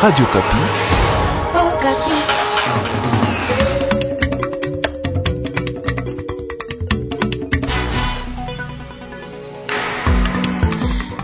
Radio Okapi.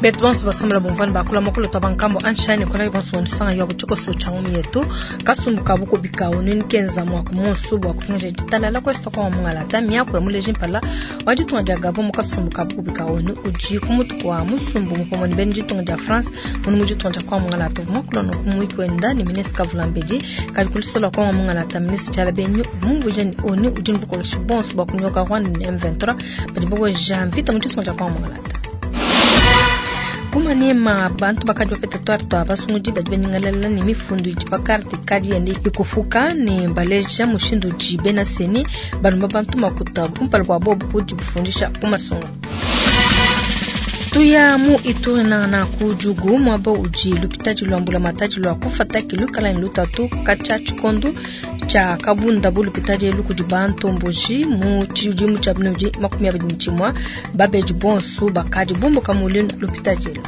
Betu bonso basombola bumvana bakula mokolo twa bankambo anshani kona bonso bonusanga yo butshiko changu yetu kasumbu kabu kubika onini kenza mwa kumonsu bwa kupinga ditalala kwesto kwa mungalata miako ya muleji mpala wa ditunga dia Gabon mukasumbu kabu kubika onu uji kumutu kwa musumbu mupomoni beni ditunga dia France munu mu ditunga dia kwa mungalata mokolo no kumwiki wenda ni ministre Kavulambedi kali kulisola kwa mungalata ministre Tshala Benyu mumvuje ni onu uji mbukokeshi bonso bwa kunyoka Rwanda ni M23 badi boko jamvita mu ditunga dia kwa mungalata kumanema bantu bakadi bapeta twari twa basungudi badi banyingalela ne mifundu idi pa karte kadi yende ikufuka ne baleja mushindu udi bena seni balomba bantu makuta kumpala kua bobu kudi bufundisha ku masungu. Tuya mu Ituri na ku Djugu muaba udi lupitadi lua mbulamatadi lua kufataki lukala ne lutatu katshia tshikondo tshia kabunda bu lupitadi elu kudi bantomboji mu tshidimu tshia 2021 babedi bonso bakadi bumbuka mu lupitadi elu.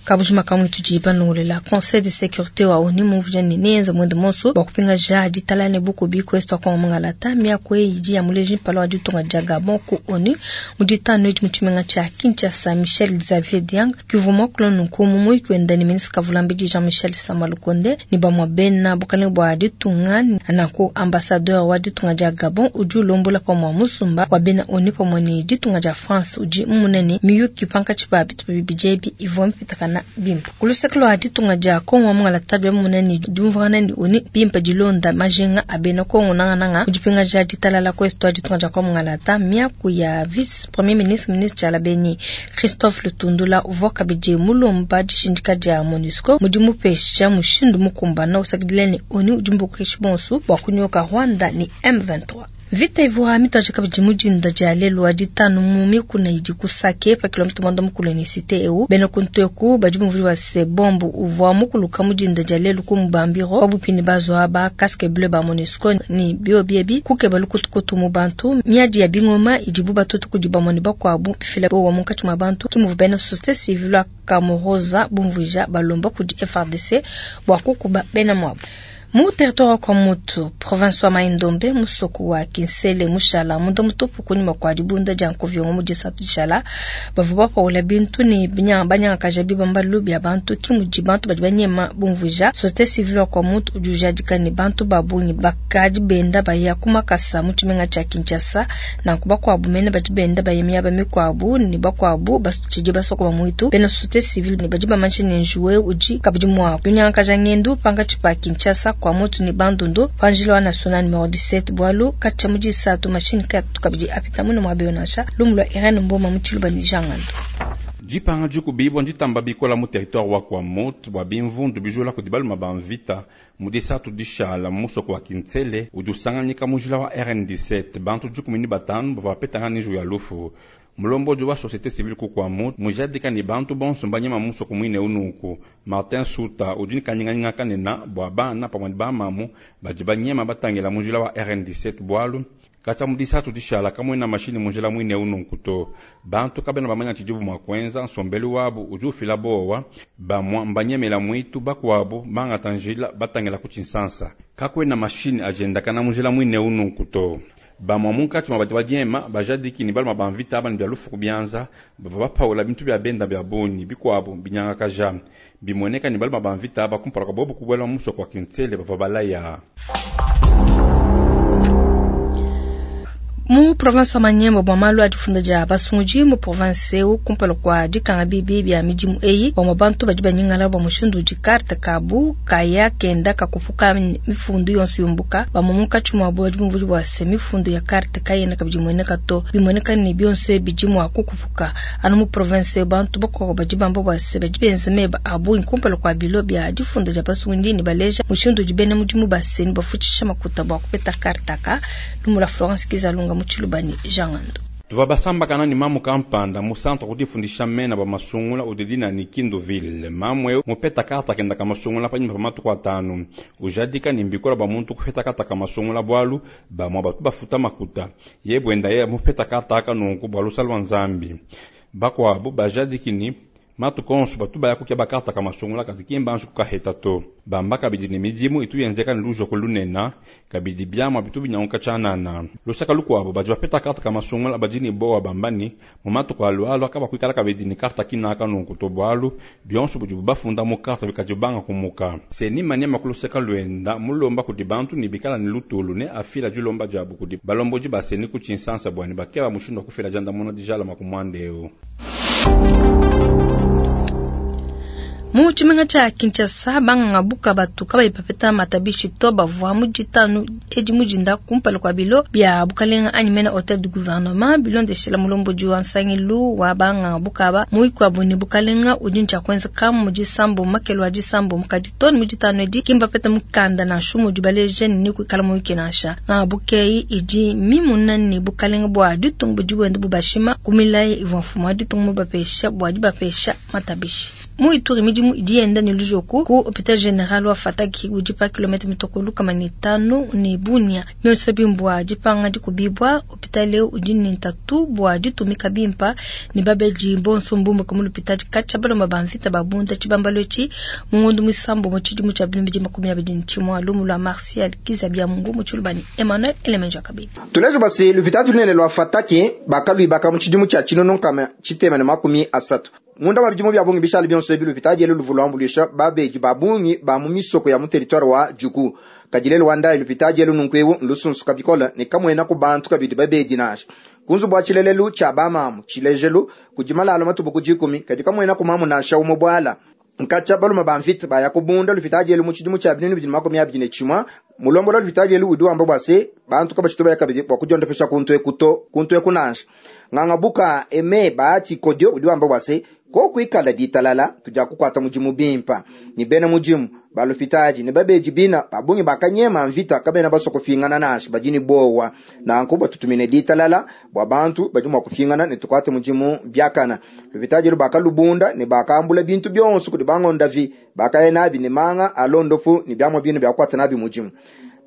Kabujima kamwe tudi banongolela Conseil de sécurité wa ONU mumvuja ne nenza mwende monso bua kupingaja ditalala ne bukubi kwesto kwa mungalata miako eyi idi ya muleji mpala wa ditunga dia Gabon ku ONU mu ditanu edi mu tshimenga tshia Kinshasa Michel Xavier Diang kivua muakula nunku mu muyuki wenda ne ministre Kavulambedi Jean-Michel Sama Lukonde ne bamue bena bukalenge bua ditunga nanku ambassadeur wa ditunga dia Gabon udi ulombola pamue musumba wa bena ONU pamue ne ditunga dia France udi munene miyuki pankatshi pa bitupa bibidi ebi ivua mipitakana bimpe kuluseke lua ditunga dia Kongo mungalata bia munene diumvuangana ne ONU bimpe dilonda majinga a bena Kongo nangananga kudipingaja ditalala kwesto ditunga dia Kongo mungalata miaku ya vice premier ministre ministre Tshala Benyi Christophe Lutundula uvua kabidi mulomba dishindika dia MONUSCO mudi mupesha mushindu mukumbana usakidila ne ONU udi mbukeshi bonso bua kunyoka Rwanda ni M23. Vita ivua mitoje kabidi mudinda dia lelu wa ditanu mu mikuna idi ku Sake pa kilomita mwanda mukulu ne cité eu bena kunteku badi muvuli wa se bombu uvua mukuluka mudinda dia lelu ku Mubambiro wabupini bazwa ba casque bleu ba MONUSCO ni biobiebi kukeba lukutukutu mu bantu miadi ya bingoma idibu batutu kudi bamone bakuabu bifila bowa munkatshi mua bantu kimuvu bena société civile wa Kamoroza bumvuija balomba kudi FARDC bua kukuba bena muabu. Mu territoire wa Kwamutu, province wa Mai-Ndombe, musoko wa Kinsele mushala munda mutupu kunyima kua dibunda dia nkoviongo mu disatu dishala bavua bapaula bintu ne banyangakaja bibambalu bia bantu kimudi bantu badi banyema bumvuija société civile wa Kwamutu udi ujadika ne bantu ba bungi bakadi benda baya ku makasa mu tshimenga tshia Kinshasa nanku bakuabu mene badi benda baya miaba mikuabu ne bakuabu batshidi basokoma muitu bena société civile ne badi bamanyisha ne njuwe udi kabidi mua kunyangakaja ngendu pankatshi pa Kinshasa Kwamutu ni Bandundu panjila wa national numero 17 bwalu katshia mu disatu machine katu kabidi apita muno mwa bionasha lumu lwa Irene Mboma mu Tshiluba ni Jangando. Dipanga dikubibwa nditamba bikola mu territoire wa Kwamutu bua bimvundu bijula kudi baluma ba mvita mu disatu dishala musoko wa Kinsele udi usanganyika mujila wa RN17 bantu 15 bavua bapetanga niju ya lufu. Mulomboji wa société civile ku Kwamutu mujadika ni bantu bonso mbanyema musoko mwine unuku Martin Suta udi kanyinganyinga kanena bua bana pamue ne bamamu badi banyema batangila mujila wa RN17 bwalu katshia mu disatu dishala kamwena mashini mujila mwine unuku to bantu kabena bamanya tshidibu mua kuenza nsombelu wabu udi ufila bowa bamua mbanyemela mwitu bakuabu bangata njila batangila ku tshinsansa kakwena mashini ajendakana mujila mwine unuku to bamua munkatshi mua badi badiema bajadiki ni baluma ba mvita aba ne bia lufu ku bianza bavua bapaula bintu bia benda bia bungi bikuabu binyangakaja bimueneka ni baluma ba mvita aba kumpala kua bobu kubuela musoko wa Kinsele bavua balaya. Mu province wa Maniema bua malu a difunda dia basungudi mu province eu kumpala kua dikanga bibi bia midimu eyi bamue bantu badi banyingala bua mushindu udi karte kabu kaya kenda kakupuka mifundu yonso yumbuka bamue munkatshi muabu badi bumvudi bua se mifundu ya karte kayena kabidi imueneka to bimueneka ne bionso bidi mua kukupuka anu mu province eu bantu bakuabu badi bamba bua se badi benza meba a bungi kumpala kua bilo bia difunda dia basungudi ne baleja mushindu udi bena mudimu ba seni bafutshisha makuta bua kupeta karte aka lumu lua Florence Kizalunga mu Tshiluba ni Jangando. Tuvua basambakana ni mamu kampanda mu centre kudifundisha mena ba masungula udidina ni Kinduville. Mamu eu mupeta karta kenda ka masungula panyima pa matuku atanu. Ujadika ni mbikola ba muntu kupeta karta ka masungula bwalu bamua batu bafuta makuta. Ye bwenda ye mupeta karta aka nunku bwa lusa lwa Nzambi. Bakuabu bajadiki ne matuku onso batu baya kukeba karta ka masungula kadi ki mbanji kukaheta to. Bamba kabidi ne midimu itu yenzeka ne lujoko lunene, kabidi biamua bitu binyanguka tshianana. Lusaka lukuabu badi bapeta karta ka masungula badi ne bowa bamba ne mu matuku alualua kabakuikala kabidi ne karta kinaka nunku to, bualu bionso budibu bafunda mu karta bikadi banga kumuka. CENI Maniema ku luseka luenda mulomba kudi bantu ne bikala ne lutulu ne afila dilomba diabu kudi balombodi ba CENI ku tshinsansa bua ne bakeba mushindu wa kufila diandamuna dijalama ku muanda eu. Mu tshimenga tshia Kinshasa, banganga buka batu kabayi bapeta matabishi to bavua mu ditanu edi mujinda kumpala kua bilo bia bukalenga anyi mena hotel du gouvernement bilondeshela mulombodi wa nsangilu wa banganga bukaba muikuabu ne bukalenga udi ntshia kuenzeka mu disambo makelo a disambo mukadi to ne mu ditanu edi kimbapeta mukanda nansha mudi baleja ne kuikala muyuki nansha. Nganga bukeyi idi mimuna ne bukalenga bua ditunga budi buenda bubashima ku milayi ivua mfumu wa ditunga mubapesha bua dibapesha matabishi. Mu Ituri midimu idi yenda ne lujoku ku hôpital général wa Fataki udi pa kilomètre mitoko lukama ne tanu ne Bunia. Bionso bimbua dipanga dikubibwa hôpital eu udi ne ntatu bua ditumika bimpa ne babedi bonso mbumba ku l'hôpital katshia balomba ba mvita babunda tshibambalo etshi mu ngondo musambo mu tshidimu tshia 2021 lumu lwa Martial Kizabia Mungu mu tshilubani Emmanuel Elemenja Kabili. Tulejo basi l'hôpital lunene lwa Fataki bakalwibaka mu tshidimu tshia tshinono nkama tshitema ne makumi asatu. Munda wa bidimu bya bungi bishali bionso ebi l'hôpital dielu luvula ambulisha babeji ba bungi ba mu misoko ya mu territoire wa Djugu. Kadilelo wanda l'hôpital dielu nunku lusunsuka bikola ne kamwena ku bantu kabidi babeji nasha. Kunzu bwa tshilelelu tshia bamamu tshilejelu kudi malalo matubu kujikumi kadi kamwena ku mamu nasha umo bwala. Nkacha baluma ba mvita baya kubunda l'hôpital dielu mu tshidimu tshia 2021 mulombola l'hôpital dielu udi wamba bwa se bantu kabachito baya kabidi bwa kudiondopesha kuntu ekuto kuntu ekunasha. Nganga buka eme baati kodio udi wamba bwa se ko kuikala ditalala tuja kukwata mujimu bimpa ni bena mujimu balufitaji ne babeji bina babungi bakanyema mvita kabena basoko fingana nashi bajini bowa na nkuba tutumine ditalala bwa bantu badi mwa kufingana ne tukwate mujimu byakana lufitaji lubakalubunda ne bakambula bintu byonso kudi bangonda vi bakaye nabi ne manga alondofu ni byamwa binu byakwata nabi mujimu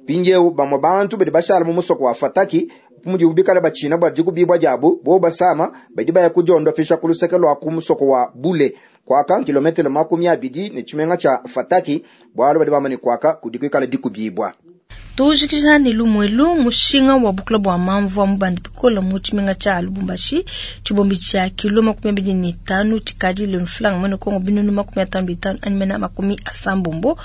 pingeu bamwa bantu badi bashala mu musoko wa Fataki mudi ubikala bachina bwa dikubibwa jabu bo basama badi baya kujondo fisha kuluseke lwa kumusoko wa Bule kwaka kilometero 20 ne chimenga cha Fataki bwalo badi bamani kwaka kudikwikala dikubibwa. Tujikija ni lumwelu mushinga wa bukula bwa mamvu wa mubandi pikola mu chimenga cha Lubumbashi chibombi cha kilo 25 chikadi le mflanga mwene Kongo binunu 55 animena 80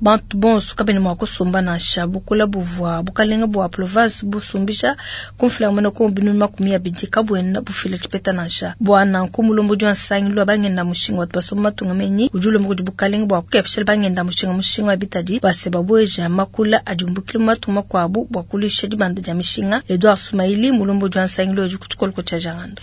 bantu bonso kabene mwa kusumba na sha bukula buvwa bukalenga bwa province busumbisha kumflanga mwene Kongo binunu 20 kabwena bufila chipeta na sha bwana nkumulombo jwa nsangi lwa bangenda mushinga wa basoma matunga menyi ujulo mukudi bukalenga bwa kukepshela bangenda mushinga mushinga wa bitadi baseba bweja makula ajumbukile matuma kwabu bwa kulisha dibanda dia mishinga Edouard Sumaili mulombo jwa nsangi lwa kuchikoloko cha jangando.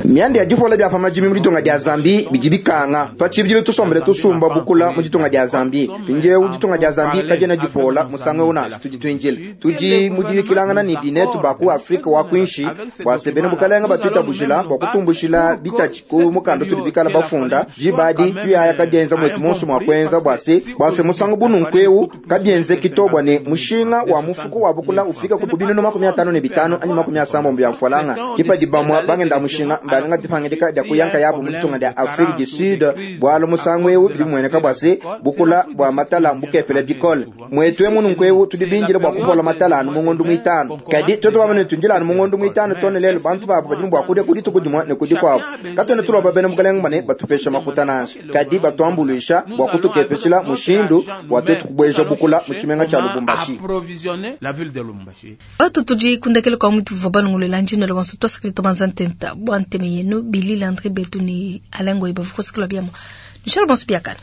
Mianda ya difola bya pamajimi mu ditunga dia Zambi bidi bikanga pachibidilo tusombele tusumba bukula mu ditunga dia Zambi pinje ditunga dia Zambi kajena difola musanga una tudi twinjile tudi mudibikilangana ni binetu baku Afrika wa kwinshi bwa sebene bukalenga batwita bujila bwa kutumbushila bitachi ku mukando tudi bikala bafunda jibadi tuyaya kajenza mwetu monso mwa kwenza bwase musango bununkweu kabyenze kitobwa ne mushinga wa mufuko wa bukula ufika ku binunu 55 anyi 70 bya mfwalanga kipa dibamwa bangenda mushinga mbalenga dipangidika dia kuyanka yabo mu ditunga dia Afrique du Sud bwalo musango eu bimweneka bwase bukula bwa matala mbukepele bikole mwetu emunu nkwewu tudibinjile bwa kupola matala anu mungondo mwitano kadi toto bamene tunjila anu mungondo mwitano tone lelo bantu babo badi bwa kudia kudi tukudimwa ne kudi kwabo katone tuloba bene mukalenga bane batupesha makuta nansha kadi batuambulisha bwa kutukepeshila mushindu wa twetu kubweja bukula mu tshimenga tsha Lubumbashi. Approvisionner la ville de Lubumbashi. Batu tudi kundekele kwa mutu vua balongolela njino le wanso twasakili tobanza ntenta bwa nteme yenu Billy Landry Betu ni Alengo ibavukosikila byamo. Michel Bonso biakana.